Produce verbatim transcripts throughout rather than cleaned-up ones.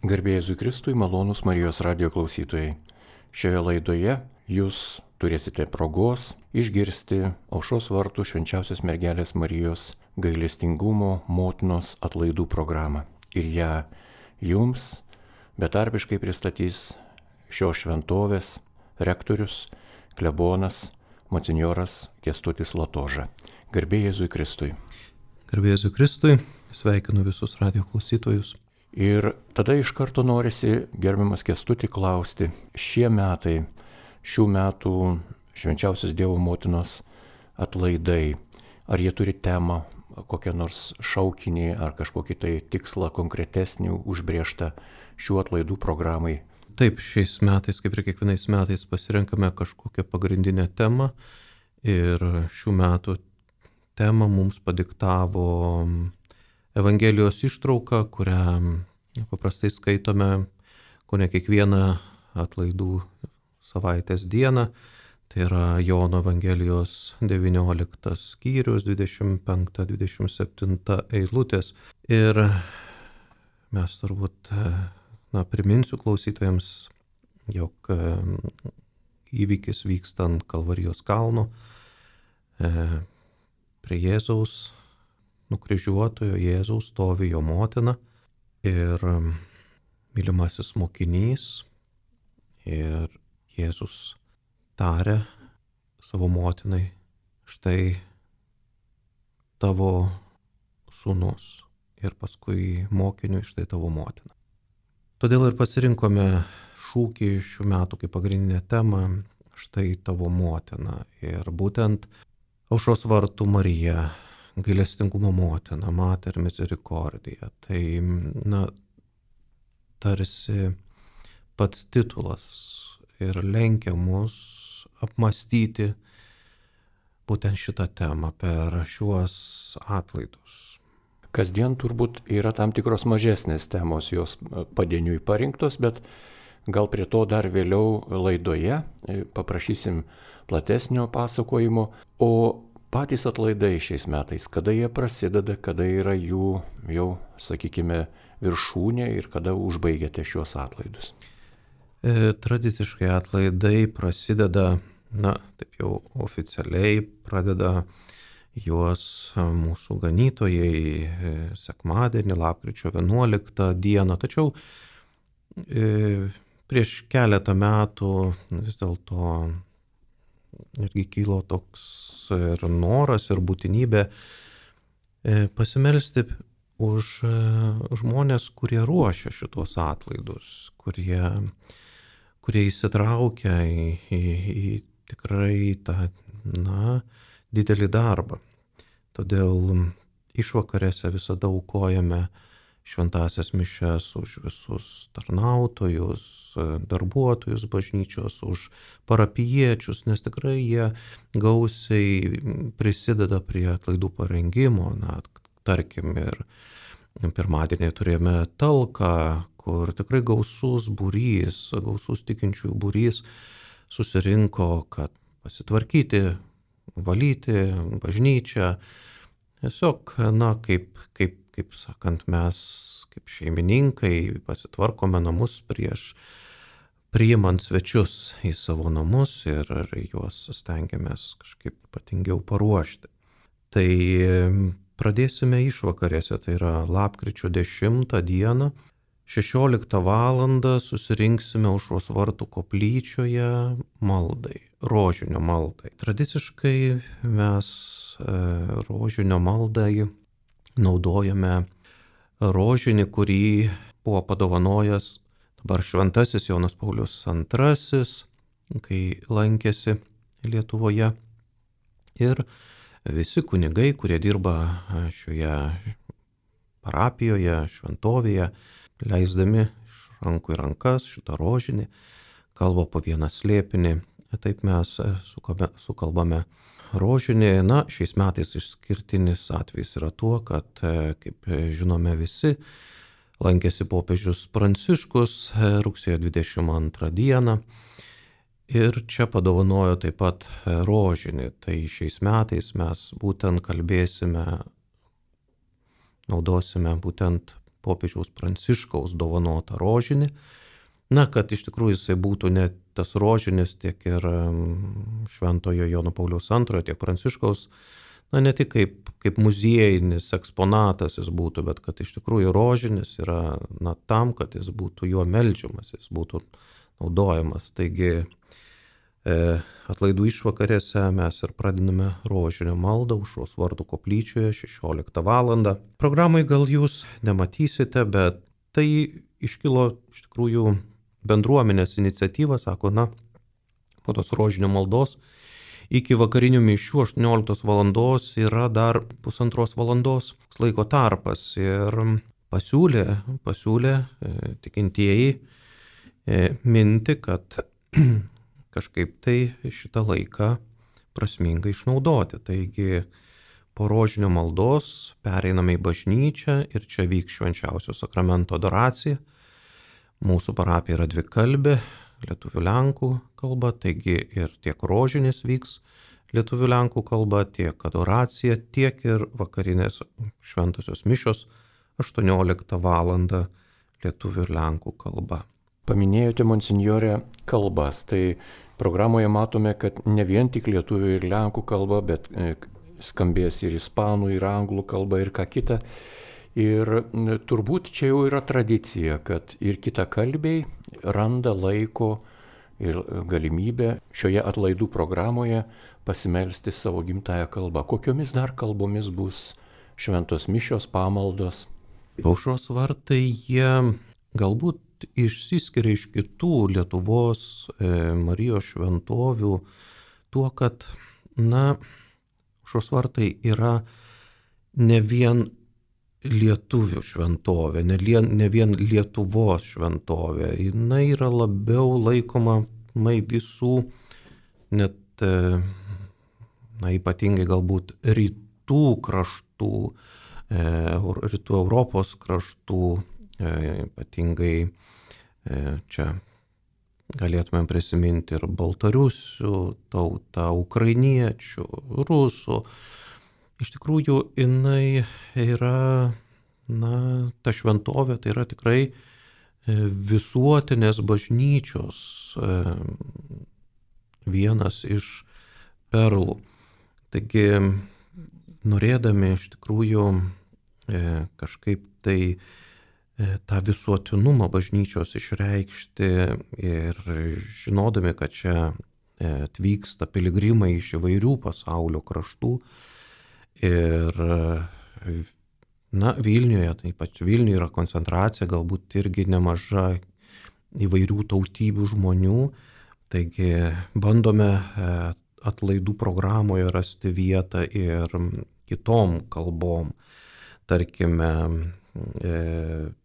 Garbė Jėzui Kristui, malonūs Marijos radijo klausytojai. Šioje laidoje jūs turėsite progos išgirsti Aušros vartų Švenčiausios mergelės Marijos gailestingumo motinos atlaidų programą. Ir ją jums betarpiškai pristatys šios šventovės rektorius, klebonas, monsinjoras Kęstutis Latoža. Garbė Jėzui Kristui. Garbė Jėzui Kristui, sveikinu visus radijo klausytojus. Ir tada iš karto norisi, gerbiamas Kęstutį, klausti, šie metai, šių metų Švenčiausios Dievo motinos atlaidai, ar jie turi temą, kokią nors šaukinį ar kažkokį tai tikslą konkretesnį užbrėžtą šių atlaidų programai? Taip, šiais metais, kaip ir kiekvienais metais, pasirenkame kažkokią pagrindinę temą ir šių metų temą mums padiktavo Evangelijos ištrauka, kurią paprastai skaitome kone kiekvieną atlaidų savaitės dieną. Tai yra Jono Evangelijos devynioliktas skyrius, dvidešimt penkta dvidešimt septinta eilutės. Ir mes turbūt, na, priminsiu klausytojams, jog įvykis vyksta ant Kalvarijos kalno prie Jėzaus nukryžiuotojo Jėzaus stovi jo motina ir mylimasis mokinys, ir Jėzus tarė savo motinai, štai tavo sūnus, ir paskui mokiniui, štai tavo motina. Todėl ir pasirinkome šūkį šių metų kaip pagrindinę temą, štai tavo motina, ir būtent Aušros vartų Marija, gailestingumo motina, Mater Misericordia. Tai, na, tarsi pats titulas ir lenkia mus apmastyti būtent šitą temą per šiuos atlaidus. Kasdien turbūt yra tam tikros mažesnės temos, jos padieniui parinktos, bet gal prie to dar vėliau laidoje paprašysim platesnio pasakojimo. O patys atlaidai šiais metais, kada jie prasideda, kada yra jų jau, sakykime, viršūnė ir kada užbaigiate šios atlaidus? E, tradiciškai atlaidai prasideda, na, taip jau oficialiai pradeda juos mūsų ganytojai sekmadienį, lapkričio vienuoliktą dieną. Tačiau e, prieš keletą metų vis dėlto irgi kilo toks ir noras, ir būtinybė pasimelsti už žmonės, kurie ruošia šitos atlaidus, kurie, kurie įsitraukia į, į, į tikrai tą, na, didelį darbą. Todėl išvakarėse visada aukojame šventąsias mišias už visus tarnautojus, darbuotojus bažnyčios, už parapijiečius, nes tikrai jie gausiai prisideda prie atlaidų parengimo. Na, tarkim, ir pirmadienį turėjome talką, kur tikrai gausus būrys, gausus tikinčiųjų būrys susirinko, kad pasitvarkyti, valyti bažnyčią. Tiesiog, na, kaip, kaip kaip sakant, mes kaip šeimininkai pasitvarkome namus prieš priimant svečius į savo namus ir, ir juos stengiamės kažkaip ypatingiau paruošti. Tai pradėsime išvakarėse, tai yra lapkričio dešimtą dieną, šešioliktą valandą susirinksime Aušros vartų koplyčioje maldai, rožinio maldai. Tradiciškai mes rožinio maldai naudojame rožinį, kurį buvo padovanojęs dabar šventasis Jonas Paulius antrasis, kai lankėsi Lietuvoje. Ir visi kunigai, kurie dirba šioje parapijoje, šventovėje, leisdami iš rankų į rankas šitą rožinį, kalba po vieną slėpinį. Taip mes sukalbame rožinį. Na, šiais metais išskirtinis atvejis yra tuo, kad, kaip žinome visi, lankėsi popiežius Pranciškus rugsėjo dvidešimt antrą dieną ir čia padovanojo taip pat rožinį. Tai šiais metais mes būtent kalbėsime, naudosime būtent popiežiaus Pranciškaus dovanotą rožinį. Na, kad iš tikrųjų jisai būtų ne tas rožinis, tiek ir Šventojo Jono Pauliaus antrojo, tiek Pranciškaus, na, ne tik kaip, kaip muziejinis eksponatas jis būtų, bet kad iš tikrųjų rožinis yra, na, tam, kad jis būtų juo meldžiamas, jis būtų naudojamas. Taigi e, atlaidų išvakarėse mes ir pradiname rožinio maldą Aušros vartų koplyčioje šešioliktą valandą. Programai gal jūs nematysite, bet tai iškilo iš tikrųjų bendruomenės iniciatyva, sako, na, po tos rožinio maldos iki vakarinių mišių aštuonioliktos valandos yra dar pusantros valandos laiko tarpas ir pasiūlė, pasiūlė e, tikintieji e, minti, kad kažkaip tai šitą laiką prasmingai išnaudoti. Taigi po rožinio maldos pereiname į bažnyčią ir čia vyks švenčiausio sakramento adoracija. Mūsų parapija yra dvikalbė, lietuvių lenkų kalba, taigi ir tiek rožinis vyks lietuvių lenkų kalba, tiek adoracija, tiek ir vakarinės šventosios mišios aštuonioliktą valandą lietuvių ir lenkų kalba. Paminėjote, monsinjore, kalbas. Tai programoje matome, kad ne vien tik lietuvių ir lenkų kalba, bet skambės ir ispanų, ir anglų kalba, ir ką kita. Ir turbūt čia jau yra tradicija, kad ir kitakalbiai randa laiko ir galimybę šioje atlaidų programoje pasimelsti savo gimtąją kalbą. Kokiomis dar kalbomis bus šventos mišios, pamaldos? Aušros vartai jie galbūt išsiskiria iš kitų Lietuvos e, Marijos šventovių tuo, kad, na, Aušros vartai yra ne vien lietuvių šventovė, ne, lien, ne vien Lietuvos šventovė. Jinai yra labiau laikoma mai visų, net na, ypatingai galbūt rytų kraštų, e, rytų Europos kraštų, e, ypatingai e, čia galėtumėm prisiminti ir baltarusių tautą, ukrainiečių, rusų. Iš tikrųjų, jinai yra, na, ta šventovė, tai yra tikrai visuotinės bažnyčios vienas iš perlų. Taigi, norėdami iš tikrųjų kažkaip tai tą visuotinumą bažnyčios išreikšti ir žinodami, kad čia atvyksta piligrimai iš įvairių pasaulio kraštų, ir, na, Vilniuje, taip pat Vilniuje yra koncentracija, galbūt irgi nemaža įvairių tautybių žmonių, taigi bandome atlaidų programoje rasti vietą ir kitom kalbom. Tarkime,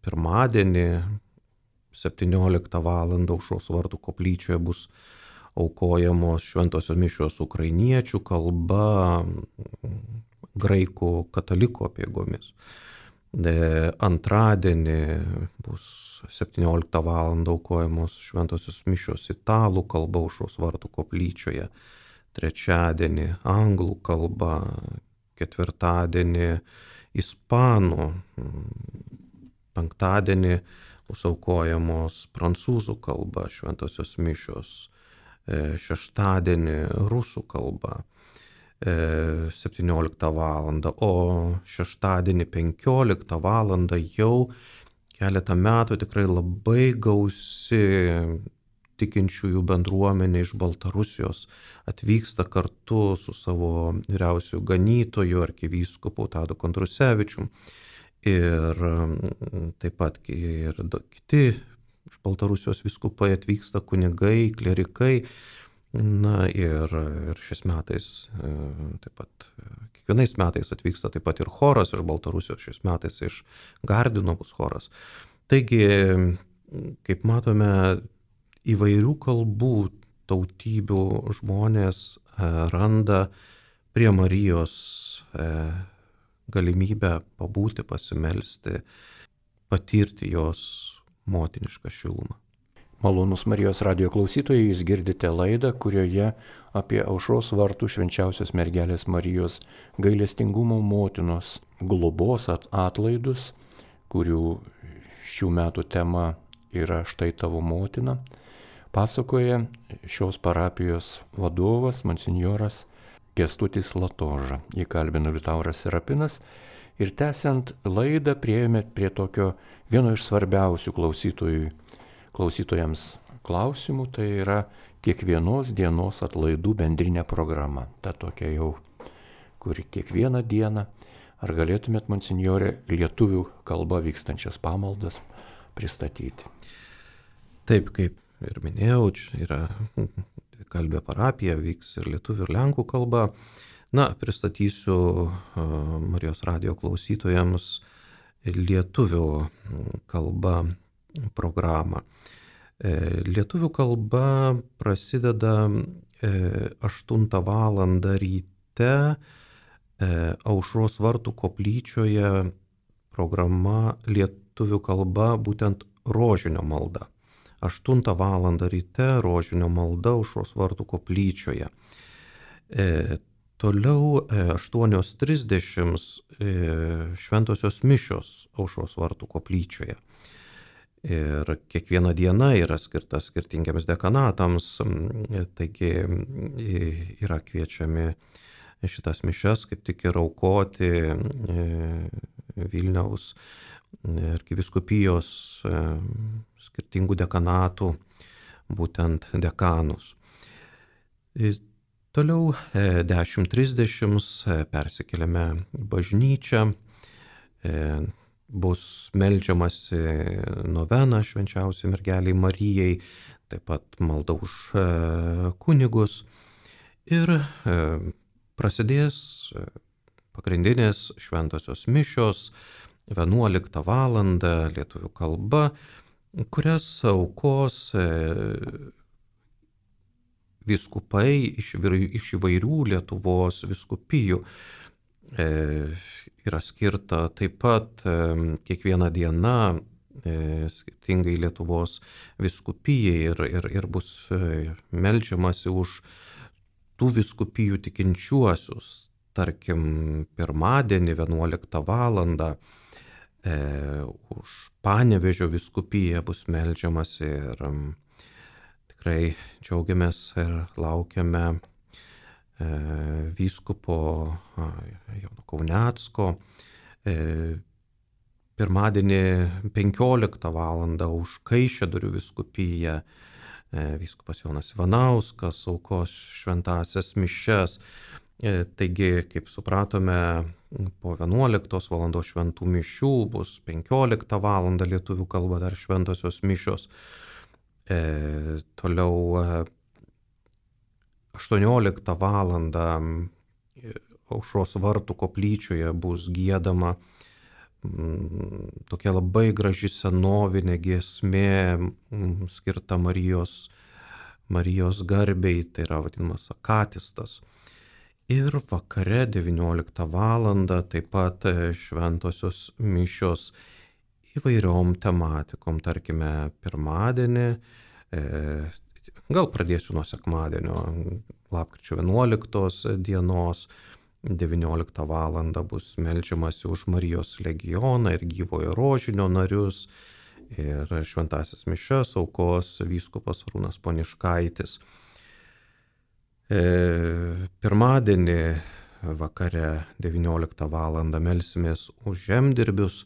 pirmadienį septynioliktą valandą Aušros vartų koplyčioje bus aukojamos šventosios mišios ukrainiečių kalba, graikų katalikų apeigomis. Antradienį bus septynioliktą valandą aukojamos šventosios mišios italų kalba Aušros vartų koplyčioje. Trečiadienį anglų kalba, ketvirtadienį ispanų, penktadienį bus aukojamos prancūzų kalba šventosios mišios, šeštadienį rusų kalba septynioliktą valandą, o šeštadienį penkioliktą valandą jau keletą metų tikrai labai gausi tikinčiųjų bendruomenė iš Baltarusijos atvyksta kartu su savo vyriausiu ganytoju arkivyskupu Tadu Kondrusevičium ir taip pat ir kiti iš Baltarusijos vyskupai atvyksta, kunigai, klerikai. Na ir, ir šiais metais, taip pat, kiekvienais metais atvyksta taip pat ir choras iš Baltarusijos, šiais metais iš Gardino bus choras. Taigi, kaip matome, įvairių kalbų tautybių žmonės randa prie Marijos galimybę pabūti, pasimelsti, patirti jos motinišką šilumą. Malonus Marijos radijo klausytojai, jūs girdite laidą, kurioje apie Aušros vartų švenčiausios mergelės Marijos gailestingumo motinos globos atlaidus kurių šių metų tema yra Štai tavo motina, pasakoja šios parapijos vadovas, monsinjoras Kęstutis Latoža. Jį kalbino Liutauras Serapinas ir tęsiant laidą priėjome prie tokio vieno iš svarbiausių klausytojų, klausytojams klausimų, tai yra kiekvienos dienos atlaidų bendrinė programa. Ta tokia jau, kuri kiekvieną dieną. Ar galėtumėt, monsinjore, lietuvių kalba vykstančias pamaldas pristatyti? Taip, kaip ir minėjau, čia yra dvikalbė parapija, vyks ir lietuvių ir lenkų kalba. Na, pristatysiu Marijos radijo klausytojams lietuvių kalba programą. Lietuvių kalba prasideda aštuntą valandą ryte Aušros vartų koplyčioje. Programa lietuvių kalba būtent rožinio malda. aštuntą valandą ryte rožinio malda Aušros vartų koplyčioje. E, toliau e, aštuonios trisdešimt e, šventosios mišios Aušros vartų koplyčioje. Ir kiekviena diena yra skirta skirtingiams dekanatams, taigi yra kviečiami šitas mišias kaip tik ir aukoti Vilniaus arkivyskupijos skirtingų dekanatų, būtent dekanus. Toliau dešimt trisdešimt persikeliame bažnyčią, bus meldžiamasi novena švenčiausiai mergeliai Marijai, taip pat malda už kunigus ir prasidės pagrindinės šventosios mišios vienuoliktą valandą lietuvių kalba, kurias aukos vyskupai iš įvairių Lietuvos vyskupijų. Yra skirta taip pat kiekviena diena skirtingai Lietuvos vyskupijai ir, ir, ir bus meldžiamasi už tų vyskupijų tikinčiuosius. Tarkim, pirmadienį vienuoliktą valandą e, už Panevėžio vyskupiją bus meldžiamasi ir um, tikrai džiaugiamės ir laukiame e, vyskupo Jono Kaunecko. E, pirmadienį penkioliktą valandą už Kaišiadorių vyskupiją e, vyskupas Jonas Ivanauskas aukos šventąsias mišias. Taigi, kaip supratome, po vienuoliktos valandos šventų mišių bus penkioliktą valandą lietuvių kalba dar šventosios mišios. E, toliau aštuonioliktą valandą Aušros vartų koplyčioje bus giedama m, tokia labai graži senovinė giesmė m, skirta Marijos, Marijos garbei, tai yra vadinamas akatistas. Ir vakare devynioliktą valandą taip pat šventosios mišios įvairiom tematikom, tarkime pirmadienį, e, gal pradėsiu nuo sekmadienio, lapkričio vienuoliktos dienos, devynioliktą valandą bus meldžiamasi už Marijos legioną ir gyvojo rožinio narius ir šventąsias mišias aukos vyskupas Arūnas Poniškaitis. E, pirmadienį vakare devynioliktą valandą melsimės už žemdirbius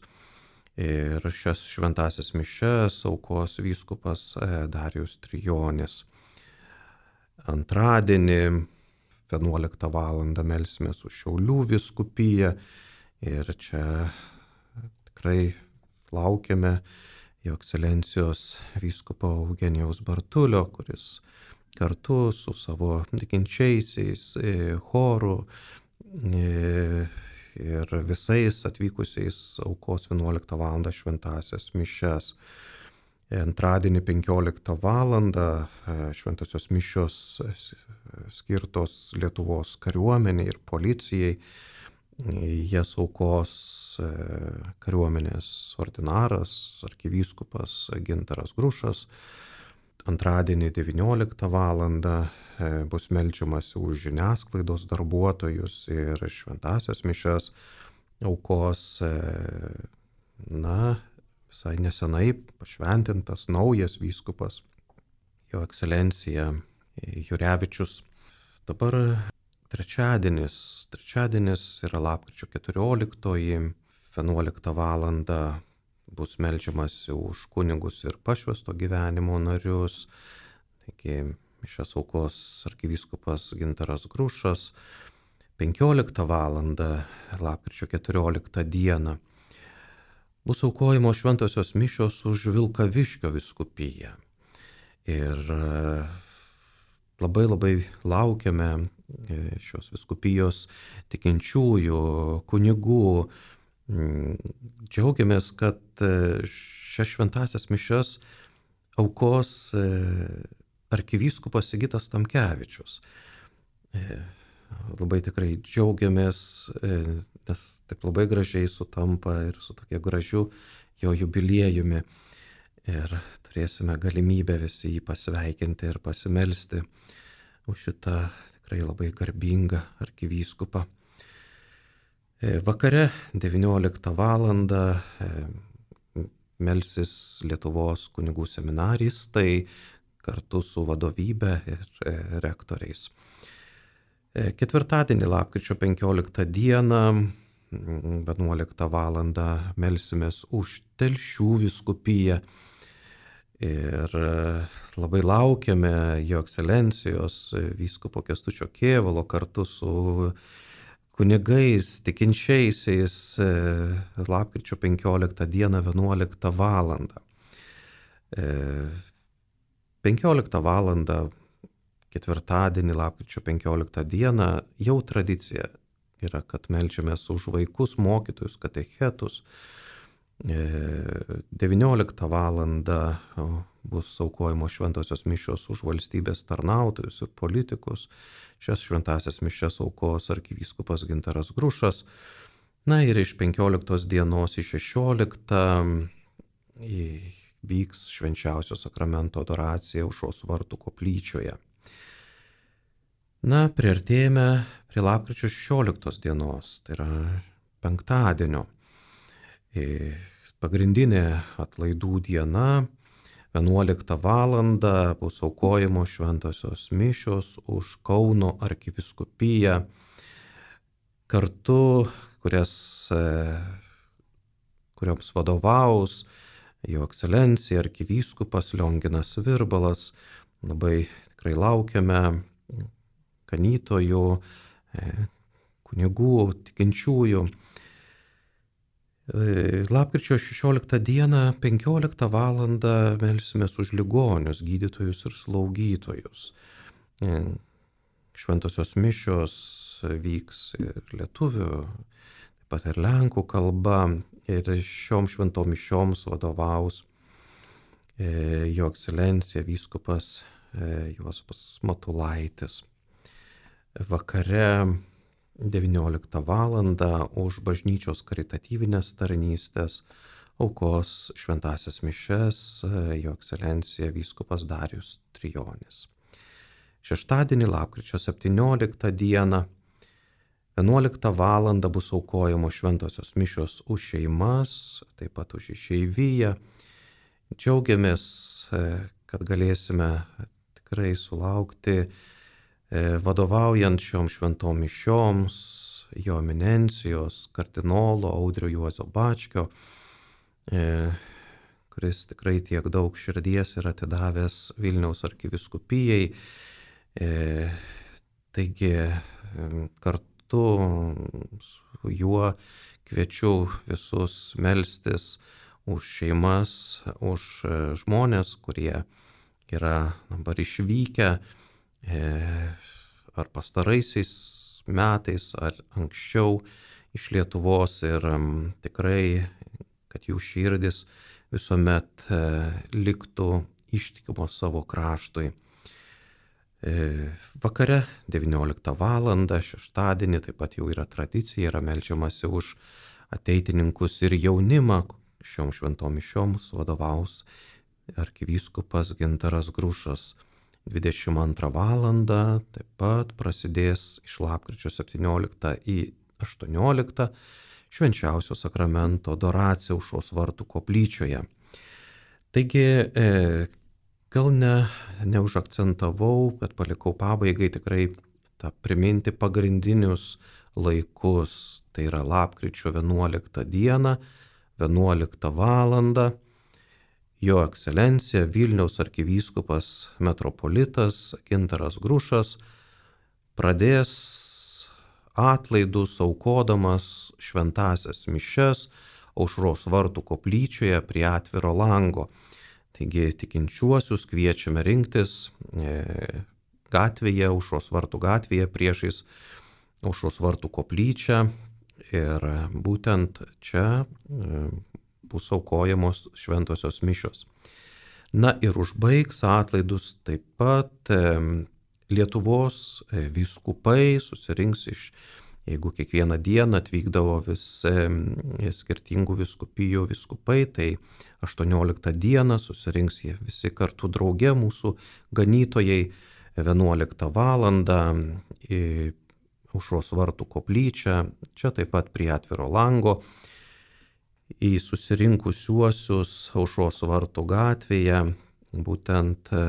ir šias šventąsias mišias aukos vyskupas Darijus Trijonis. Antradienį vienuoliktą valandą melsimės už Šiaulių vyskupiją ir čia tikrai laukiame Jo ekscelencijos vyskupo Eugenijaus Bartulio, kuris kartu su savo tikinčiaisiais choru ir visais atvykusiais aukos vienuoliktą valandą šventąsias mišias. Antradienį penkioliktą valandą šventosios mišios skirtos Lietuvos kariuomeniai ir policijai. Jas aukos kariuomenės ordinaras, arkivyskupas Gintaras Grušas. Antradienį devynioliktą valandą bus meldžiamasi už žiniasklaidos darbuotojus ir šventąsias mišias aukos na, visai nesenai pašventintas naujas vyskupas, jo ekscelencija Jurevičius. Dabar trečiadienis, trečiadienis yra lapkričio keturioliktoji, vienuoliktą valandą bus meldžiamasi už kunigus ir pašvęsto gyvenimo narius. Taigi mišias aukos arkivyskupas Gintaras Grušas. penkioliktą valandą lapkričio keturioliktą dieną bus aukojimo šventosios mišios už Vilkaviškio vyskupiją. Ir labai labai laukiame šios vyskupijos tikinčiųjų, kunigų. Džiaugiamės, kad šias šventasias mišias aukos arkivyskupas Sigitas Tamkevičius. Labai tikrai džiaugiamės, nes taip labai gražiai sutampa ir su tokia gražiu jo jubiliejumi. Ir turėsime galimybę visi jį pasveikinti ir pasimelsti už šitą tikrai labai garbingą arkivyskupą. Vakare devynioliktą valandą melsis Lietuvos kunigų seminaristai kartu su vadovybe ir rektoriais. Ketvirtadienį lapkričio penkioliktą dieną vienuoliktą valandą melsimės už Telšių vyskupiją ir labai laukiame jo ekscelencijos vyskupo Kęstučio Kėvalo kartu su kunigais, tikinčiaisiais lapkričio penkioliktą dieną vienuoliktą valandą. penkioliktą valandą ketvirtadienį lapkričio penkioliktą dieną jau tradicija yra, kad meldžiamės už vaikus, mokytojus, katechetus. devynioliktą valandą bus aukojimo šventosios mišios už valstybės tarnautojus ir politikus. Šias šventasias mišias aukos arkivyskupas Gintaras Grušas. Na ir iš penkioliktos dienos į šešioliktą vyks švenčiausio sakramento adoracija Aušros vartų koplyčioje. Na, priartėjame prie lapkričio šešioliktos dienos, tai yra penktadienio. Pagrindinė atlaidų diena, vienuoliktą valandą bus aukojimo šventosios mišios už Kauno arkivyskupiją, kartu, kurias, kurioms vadovaus jo ekscelencija arkivyskupas Lionginas Virbalas. Labai tikrai laukiame ganytojų, kunigų, tikinčiųjų. Lapkričio šešioliktą dieną penkioliktą valandą melsimės už ligonius, gydytojus ir slaugytojus. Šventosios mišios vyks ir lietuvių, taip pat ir lenkų kalba. Ir šiom šventom mišioms vadovaus jo ekscelencija vyskupas Juozapas Matulaitis. Vakare devynioliktą valandą už bažnyčios karitatyvinės tarnystės aukos šventasias mišias jo ekscelencija vyskupas Darijus Trijonis. Šeštadienį lapkričio septynioliktą dieną vienuoliktą valandą bus aukojamos šventosios mišios už šeimas, taip pat už išeiviją. Džiaugiamės, kad galėsime tikrai sulaukti vadovaujant šiom šventom mišioms jo eminencijos kardinolo Audrio Juozo Bačkio, kuris tikrai tiek daug širdies yra atidavęs Vilniaus arkivyskupijai. Taigi kartu su juo kviečiu visus melstis už šeimas, už žmonės, kurie yra dabar išvykę ar pastaraisiais metais, ar anksčiau iš Lietuvos, ir tikrai, kad jų širdis visuomet liktų ištikimos savo kraštui. Vakare devynioliktą valandą šeštadienį taip pat jau yra tradicija, yra meldžiamasi už ateitininkus ir jaunimą. Šiom šventom mišioms vadovaus arkivyskupas Gintaras Grušas. dvidešimt antrą valandą taip pat prasidės iš lapkričio septynioliktą į aštuonioliktą švenčiausio sakramento adoraciją Aušros vartų koplyčioje. Taigi, e, gal ne, neužakcentavau, bet palikau pabaigai tikrai tą priminti pagrindinius laikus. Tai yra lapkričio vienuoliktą dieną, vienuoliktą valandą. Jo ekscelencija Vilniaus arkivyskupas metropolitas Gintaras Grušas pradės atlaidus aukodamas šventąsias mišias Aušros vartų koplyčioje prie atviro lango. Taigi tikinčiuosius kviečiame rinktis e, gatvėje, Aušros vartų gatvėje priešais Aušros vartų koplyčią ir būtent čia e, bus aukojamos šventosios mišios. Na ir užbaigs atlaidus taip pat e, Lietuvos e, vyskupai susirinks iš, jeigu kiekvieną dieną atvykdavo vis e, skirtingų vyskupijų vyskupai, tai aštuonioliktą dieną susirinks jie visi kartu drauge, mūsų ganytojai, vienuoliktą valandą į Aušros vartų koplyčią, čia taip pat prie atviro lango, į susirinkusiuosius Aušros vartų gatvėje, būtent e,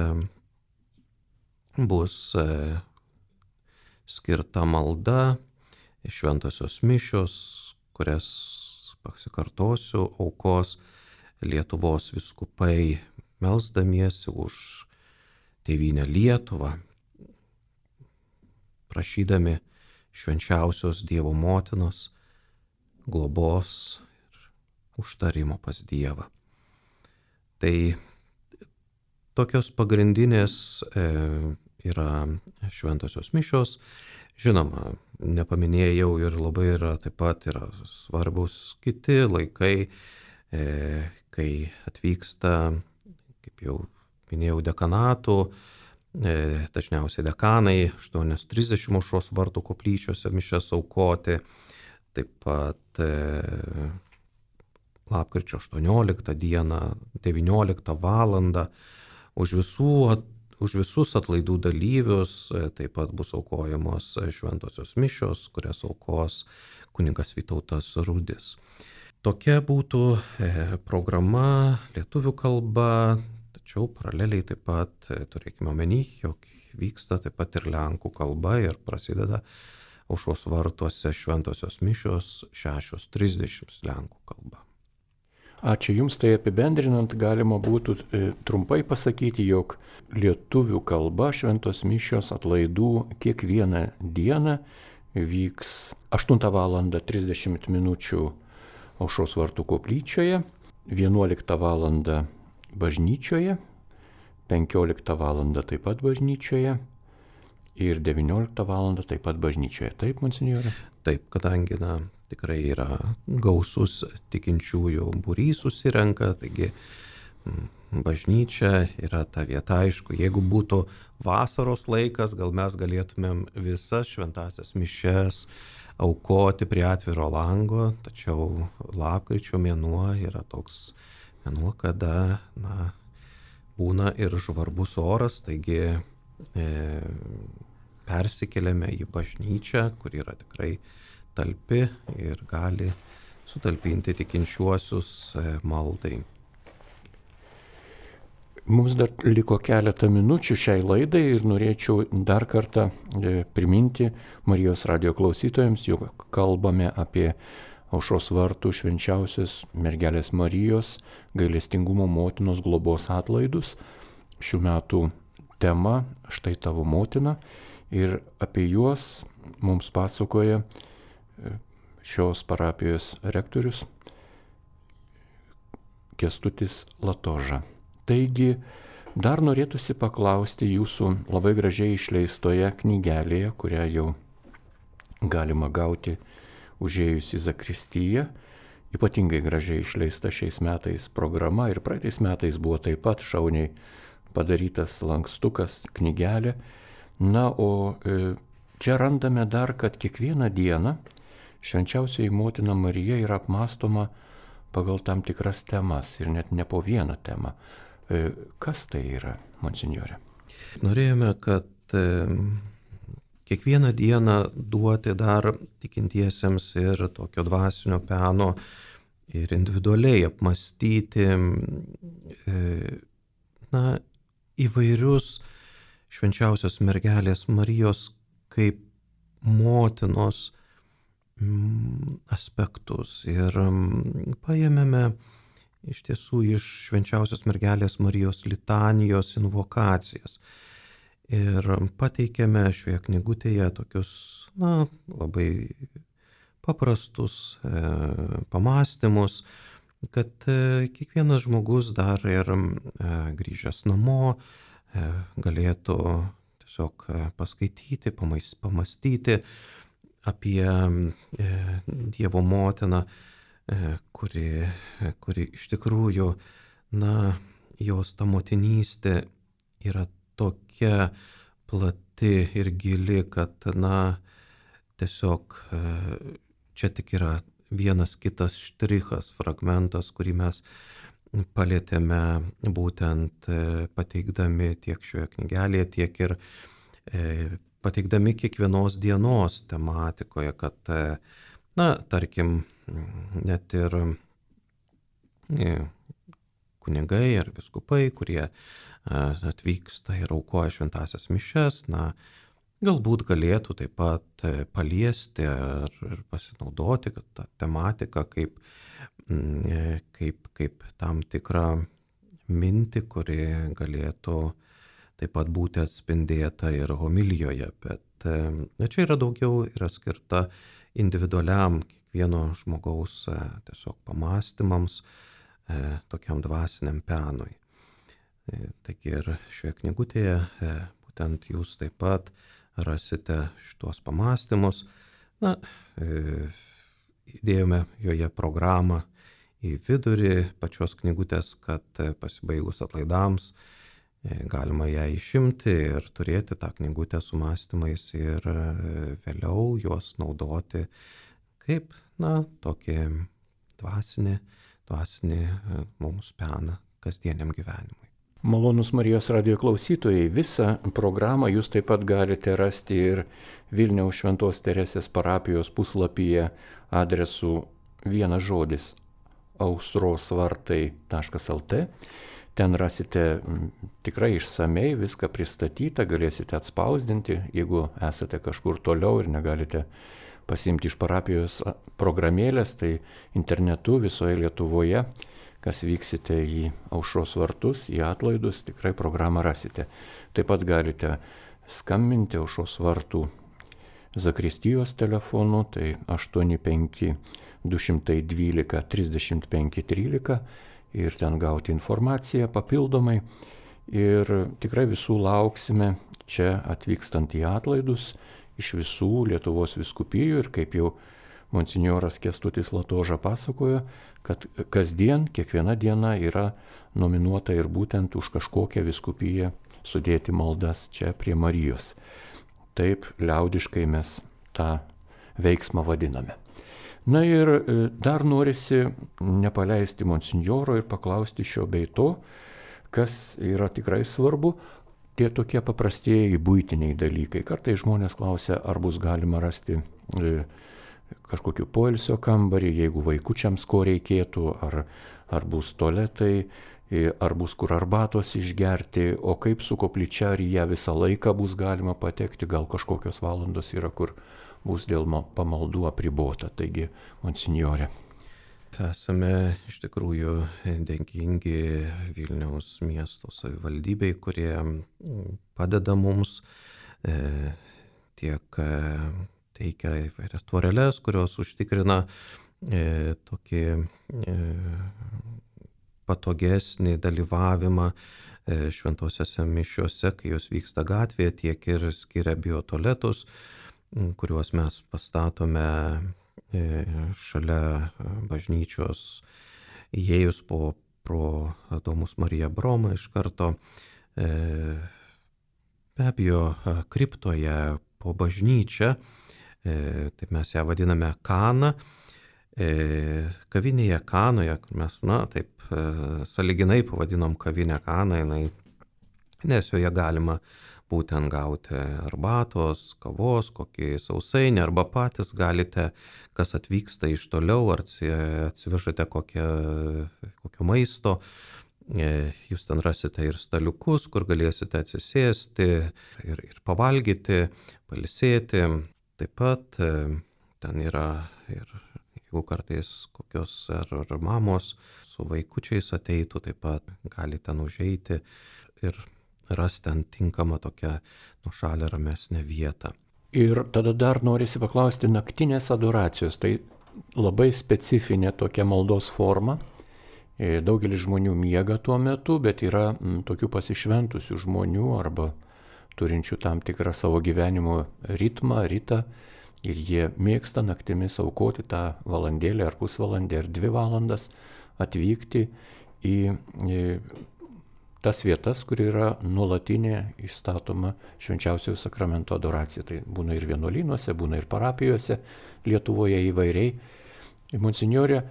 bus e, skirta malda, šventosios mišios, kurias, pasikartosiu, aukos Lietuvos vyskupai melsdamiesi už tėvynę Lietuvą, prašydami švenčiausios Dievo motinos globos ir užtarimo pas Dievą. Tai tokios pagrindinės e, yra šventosios mišios. Žinoma, nepaminėjau ir labai yra taip pat yra svarbus kiti laikai, e, kai atvyksta, kaip jau minėjau, dekanatų, e, dažniausiai dekanai, aštuonios trisdešimt Aušros vartų koplyčiose mišias aukoti, taip pat e, lapkričio aštuonioliktą dieną, devynioliktą valandą, už visų at, Už visus atlaidų dalyvius taip pat bus aukojamos šventosios mišios, kurias aukos kunigas Vytautas Rudis. Tokia būtų programa lietuvių kalba, tačiau paraleliai taip pat turėkime omeny, jog vyksta taip pat ir lenkų kalba ir prasideda Aušros vartuose šventosios mišios šešios trisdešimt lenkų kalba. Ačiū Jums, tai apibendrinant galima būtų e, trumpai pasakyti, jog lietuvių kalba šventos mišios atlaidų kiekvieną dieną vyks aštuntą valandą trisdešimt minučių Aušros vartų koplyčioje, vienuoliktą valandą bažnyčioje, penkioliktą valandą taip pat bažnyčioje ir devynioliktą valandą taip pat bažnyčioje. Taip, monsinjore? Taip, kadangi na, tikrai yra gausus tikinčiųjų būrys susirenka, taigi bažnyčia yra ta vieta, aišku, jeigu būtų vasaros laikas, gal mes galėtumėm visas šventąsias mišias aukoti prie atviro lango, tačiau lapkričio mėnuo yra toks mėnuo, kada na, būna ir žvarbus oras, taigi e, persikeliame į bažnyčią, kur yra tikrai talpi ir gali sutalpinti tikinčiuosius maldai. Mums dar liko keletą minučių šiai laidai ir norėčiau dar kartą priminti Marijos radijo klausytojams, jog kalbame apie Aušros vartų švenčiausios mergelės Marijos gailestingumo motinos globos atlaidus. Šių metų tema štai tavo motina ir apie juos mums pasakoja šios parapijos rektorius Kęstutis Latoža. Taigi, dar norėtųsi paklausti jūsų labai gražiai išleistoje knygelėje, kurią jau galima gauti užėjus į zakristiją. Ypatingai gražiai išleista šiais metais programa ir praeitais metais buvo taip pat šauniai padarytas lankstukas, knygelė. Na, o čia randame dar, kad kiekvieną dieną švenčiausioji motina Marija yra apmąstoma pagal tam tikras temas ir net ne po vieną temą. Kas tai yra, monsinjore? Norėjome, kad kiekvieną dieną duoti dar tikintiesiems ir tokio dvasinio peno ir individualiai apmastyti na, įvairius švenčiausios mergelės Marijos kaip motinos aspektus. Ir paėmėme iš tiesų iš švenčiausios mergelės Marijos litanijos invokacijas. Ir pateikėme šioje knygutėje tokius, na, labai paprastus e, pamastymus, kad e, kiekvienas žmogus dar ir e, grįžęs namo e, galėtų tiesiog paskaityti, pamais, pamastyti apie e, Dievo motiną, e, kuri, kuri iš tikrųjų, na, jos ta motinystė yra tokia plati ir gili, kad, na, tiesiog čia tik yra vienas kitas štrichas, fragmentas, kurį mes palėtėme būtent pateikdami tiek šioje knygelėje, tiek ir pateikdami kiekvienos dienos tematikoje, kad, na, tarkim, net ir kunigai ar viskupai, kurie atvyksta ir aukoja šventąsias mišias, na, galbūt galėtų taip pat paliesti ar pasinaudoti tą tematiką kaip, kaip, kaip tam tikrą mintį, kuri galėtų taip pat būti atspindėta ir homilijoje. Bet čia yra daugiau, yra skirta individualiam kiekvieno žmogaus tiesiog pamastymams, tokiam dvasiniam penui. Taigi ir šioje knygutėje būtent jūs taip pat rasite šitos pamastymus. Na, įdėjome joje programą į vidurį pačios knygutės, kad pasibaigus atlaidams galima ją išimti ir turėti tą knygutę su mąstymais ir vėliau juos naudoti kaip, na, tokį dvasinį, dvasinį mums peną kasdieniam gyvenimui. Malonus Marijos radijo klausytojai, visą programą jūs taip pat galite rasti ir Vilniaus Šventos Teresės parapijos puslapyje adresu vienas žodis ausrosvartai taškas lt. Ten rasite tikrai išsamei viską pristatyta, galėsite atspausdinti, jeigu esate kažkur toliau ir negalite pasiimti iš parapijos programėlės, tai internetu visoje Lietuvoje, kas vyksite į Aušros vartus, į atlaidus, tikrai programą rasite. Taip pat galite skambinti Aušros vartų zakristijos telefonu, tai aštuoni penki du dvylika trisdešimt penki trylika ir ten gauti informaciją papildomai. Ir tikrai visų lauksime čia atvykstant į atlaidus iš visų Lietuvos vyskupijų ir kaip jau monsinjoras Kęstutis Latoža pasakojo, kad kasdien, kiekviena diena yra nominuota ir būtent už kažkokią vyskupiją sudėti maldas čia prie Marijos. Taip liaudiškai mes tą veiksmą vadiname. Na ir dar norisi nepaleisti monsinjoro ir paklausti šio bei to, kas yra tikrai svarbu, tie tokie paprastieji buitiniai dalykai. Kartais žmonės klausia, ar bus galima rasti kažkokiu poilsio kambarį, jeigu vaikučiams ko reikėtų, ar, ar bus tualetai, ar bus kur arbatos išgerti, o kaip su koplyčia, ar ją visą laiką bus galima patekti, gal kažkokios valandos yra, kur bus dėl pamaldų apribota. Taigi, monsinjore. Esame iš tikrųjų dėkingi Vilniaus miesto savivaldybei, kurie padeda mums e, tiek teikia įvairias tvoreles, kurios užtikrina e, tokį e, patogesnį dalyvavimą e, šventosiose mišiose, kai jos vyksta gatvėje, tiek ir skiria biotualetus, kuriuos mes pastatome e, šalia bažnyčios, įėjus po pro Domus Marija Broma iš karto. E, be abejo, kriptoje po bažnyčią, E, taip mes ją vadiname Kana, e, kavinėje Kanoje, kur mes, na, taip e, sąlyginai pavadinom kavinę Kaną, jinai, nes joje galima būtent gauti arbatos, kavos, kokį sausainį, arba patys galite, kas atvyksta iš toliau, ar atsivežate kokią, kokio maisto, jūs ten rasite ir staliukus, kur galėsite atsisėsti ir, ir pavalgyti, pailsėti. Taip pat ten yra ir jeigu kartais kokios ar, ar mamos su vaikučiais ateitų, taip pat gali ten užeiti ir rasti ten tinkamą tokią nuošalę ramesnę vietą. Ir tada dar norisi paklausti naktinės adoracijos. Tai labai specifinė tokia maldos forma. Daugelis žmonių miega tuo metu, bet yra m, tokių pasišventusių žmonių arba turinčių tam tikrą savo gyvenimo ritmą, ritą. Ir jie mėgsta naktimis aukoti tą valandėlę ar pusvalandį ar dvi valandas, atvykti į, į tas vietas, kur yra nuolatinė įstatoma švenčiausiojo sakramento adoracija. Tai būna ir vienuolynuose, būna ir parapijose, Lietuvoje įvairiai. Monsinjore,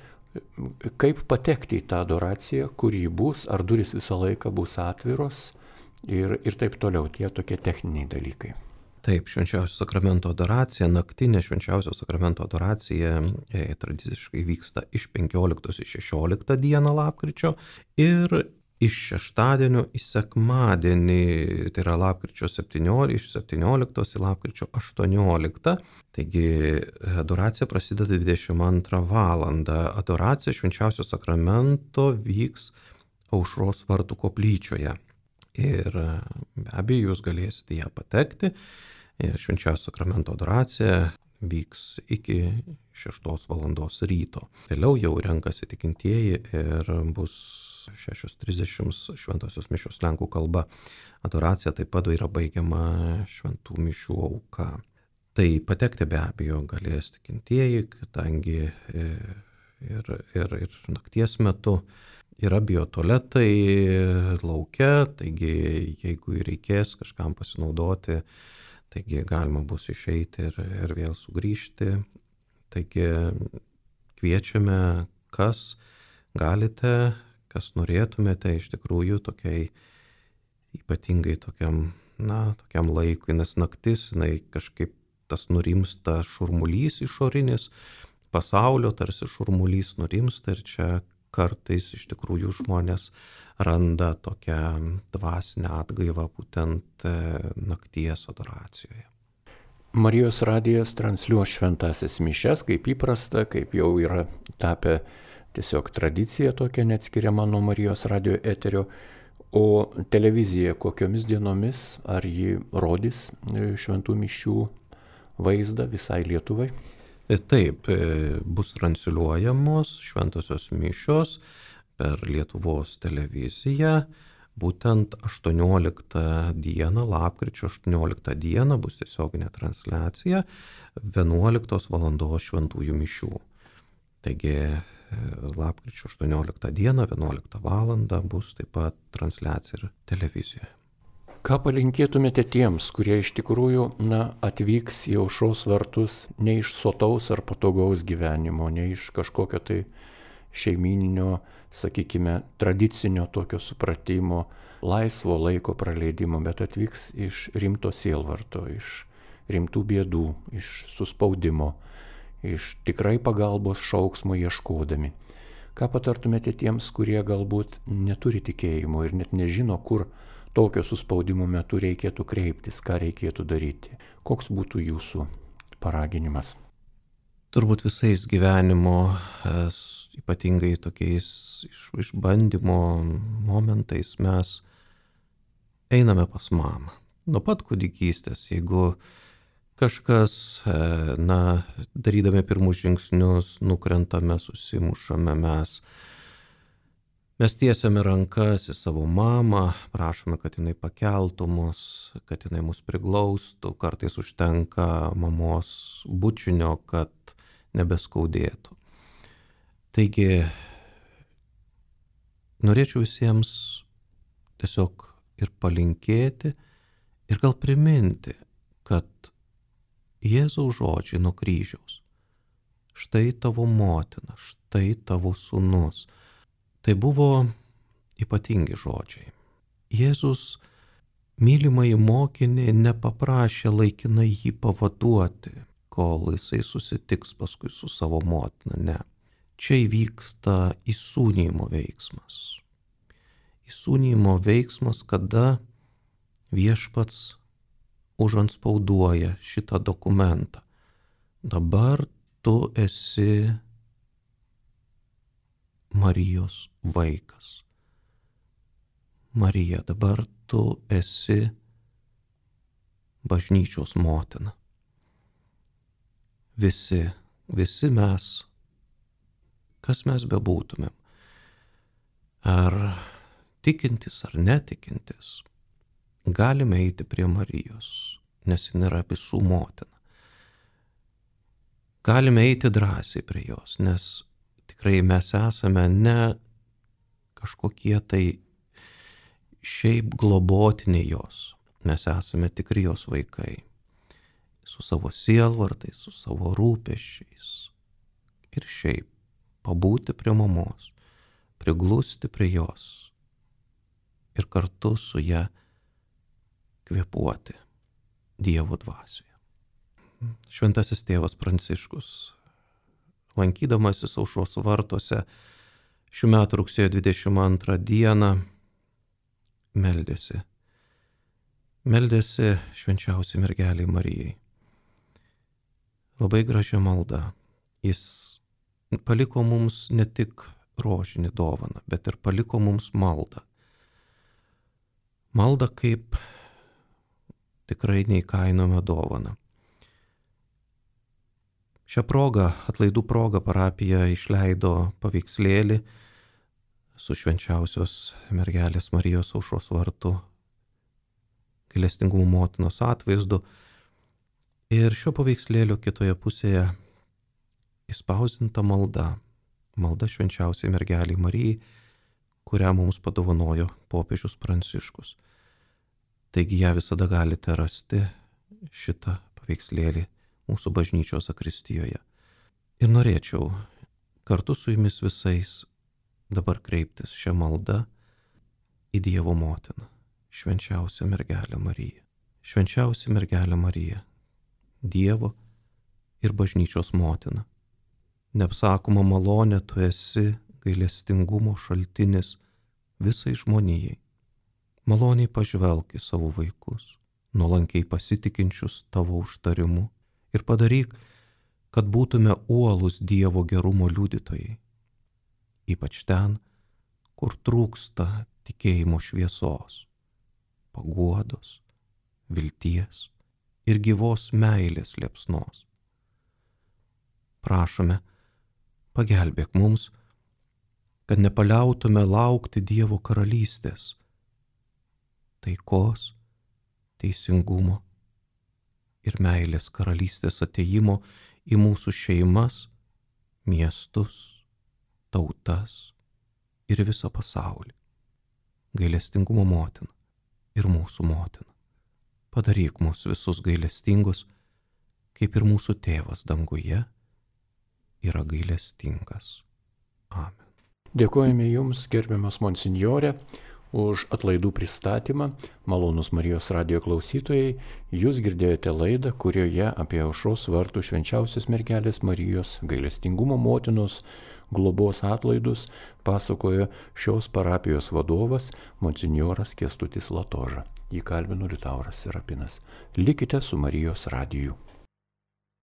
kaip patekti į tą adoraciją, kur ji bus, ar durys visą laiką bus atviros ir, ir taip toliau, tie tokie techniniai dalykai. Taip, švenčiausio sakramento adoracija, naktinė švenčiausio sakramento adoracija e, tradiciškai vyksta iš penkioliktos į šešioliktą dieną lapkričio ir iš šeštadienio į sekmadienį, tai yra lapkričio septynioliktą, iš septynioliktos į lapkričio aštuonioliktą. Taigi adoracija prasideda dvidešimt antrą valandą. Adoracija švenčiausio sakramento vyks Aušros vartų koplyčioje. Ir be abejo, jūs galėsite ją patekti. Ir švenčiausio sakramento adoracija vyks iki šeštos valandos ryto. Vėliau jau renkasi tikintieji ir bus šešios trisdešimt šventosios mišios lenkų kalba. Adoracija taip pat yra baigiama šventų mišių auka. Tai patekti be abejo galės tikintieji, kadangi ir, ir, ir nakties metu yra biotualetai lauke, taigi jeigu reikės kažkam pasinaudoti, taigi galima bus išeiti ir, ir vėl sugrįžti. Taigi kviečiame, kas galite, kas norėtumėte iš tikrųjų tokiai ypatingai tokiam, na, tokiam laikui, nes naktis, jinai kažkaip tas nurimsta šurmulys išorinis, pasaulio tarsi šurmulys nurimsta ir čia kartais iš tikrųjų žmonės randa tokią dvasinę atgaivą būtent nakties adoracijoje. Marijos radijas transliuos šventąsias mišias, kaip įprasta, kaip jau yra tapę tiesiog tradicija tokia neatskiriama nuo Marijos radijo eterio. O televizija kokiomis dienomis, ar ji rodys šventų mišių vaizdą visai Lietuvai? Taip, bus transliuojamos šventosios mišios per Lietuvos televiziją. Būtent aštuonioliktą dieną, lapkričio aštuonioliktą dieną bus tiesioginė transliacija vienuoliktos valandos šventųjų mišių. Taigi lapkričio aštuonioliktą dieną, vienuoliktą valandą bus taip pat transliacija ir televizijoje. Ką palinkėtumėte tiems, kurie iš tikrųjų na, atvyks į Aušros vartus ne iš sotaus ar patogaus gyvenimo, ne iš kažkokio tai šeimyninio, sakykime, tradicinio tokio supratimo, laisvo laiko praleidimo, bet atvyks iš rimto sielvarto, iš rimtų bėdų, iš suspaudimo, iš tikrai pagalbos šauksmo ieškodami. Ką patartumėte tiems, kurie galbūt neturi tikėjimo ir net nežino, kur tokio suspaudimo metu reikėtų kreiptis, ką reikėtų daryti? Koks būtų jūsų paraginimas? Turbūt visais gyvenimo, ypatingai tokiais išbandymo momentais mes einame pas mamą. Nuo pat kūdikystės, jeigu kažkas, na, darydami pirmus žingsnius, nukrentame, susimušame mes, mes tiesiame rankas į savo mamą, prašome, kad jinai pakeltų mus, kad jinai mus priglaustų, kartais užtenka mamos bučinio, kad nebeskaudėtų. Taigi, norėčiau visiems tiesiog ir palinkėti ir gal priminti, kad Jėzaus žodžiai nuo kryžiaus, štai tavo motina, štai tavo sūnus, tai buvo ypatingi žodžiai. Jėzus mylimąjį mokinį nepaprašė laikinai jį pavaduoti, kol jisai susitiks paskui su savo motina. Ne. Čia įvyksta įsūnijimo veiksmas. Įsūnijimo veiksmas, kada viešpats užantspauduoja šitą dokumentą. Dabar tu esi Marijos vaikas. Marija, dabar tu esi bažnyčios motina. Visi, visi mes, kas mes bebūtumėm, ar tikintis ar netikintis, galime eiti prie Marijos, nes jin yra visų motina. Galime eiti drąsiai prie jos, nes tikrai mes esame ne kažkokie tai šiaip globotiniai jos. Mes esame tikri jos vaikai. Su savo sielvartais, su savo rūpesčiais. Ir šiaip pabūti prie mamos, priglusti prie jos ir kartu su ja kvėpuoti Dievo dvasioje. Šventasis tėvas Pranciškus, lankydamasis Aušros vartuose šių metų rugsėjo dvidešimt antrą dieną, meldėsi. Meldėsi švenčiausiai mergelei Marijai. Labai gražia malda. Jis paliko mums ne tik rožinį dovaną, bet ir paliko mums maldą. Maldą kaip tikrai neįkainojamą dovaną. Šią progą, atlaidų progą, parapija išleido paveikslėlį su švenčiausios mergelės Marijos Aušros vartų gailestingumo motinos atvaizdu. Ir šio paveikslėlio kitoje pusėje įspausdinta malda, malda švenčiausiai mergeliai Marijai, kurią mums padovanojo popiežius Pranciškus. Taigi ją visada galite rasti, šitą paveikslėlį, mūsų bažnyčios zakristijoje. Ir norėčiau kartu su jumis visais dabar kreiptis šią maldą į Dievo motiną, švenčiausią mergelę Mariją. Švenčiausia mergelė Marija, Dievo ir bažnyčios motina. Neapsakoma malonė, tu esi gailestingumo šaltinis visai žmonijai. Maloniai pažvelk į savo vaikus, nuolankiai pasitikinčius tavo užtarimu, ir padaryk, kad būtume uolūs Dievo gerumo liudytojai, ypač ten, kur trūksta tikėjimo šviesos, paguodos, vilties ir gyvos meilės liepsnos. Prašome, pagelbėk mums, kad nepaliautume laukti Dievo karalystės, taikos, teisingumo ir meilės karalystės atėjimo į mūsų šeimas, miestus, tautas ir visą pasaulį. Gailestingumo motina ir mūsų motina, padaryk mus visus gailestingus, kaip ir mūsų tėvas danguje yra gailestingas. Amen. Dėkojame Jums, gerbiamas monsinjore, už atlaidų pristatymą. Malonūs Marijos radijo klausytojai, jūs girdėjote laidą, kurioje apie Aušros vartų švenčiausios mergelės Marijos gailestingumo motinos globos atlaidus pasakojo šios parapijos vadovas monsinjoras Kęstutis Latoža. Jį kalbino Liutauras Serapinas. Likite su Marijos radiju.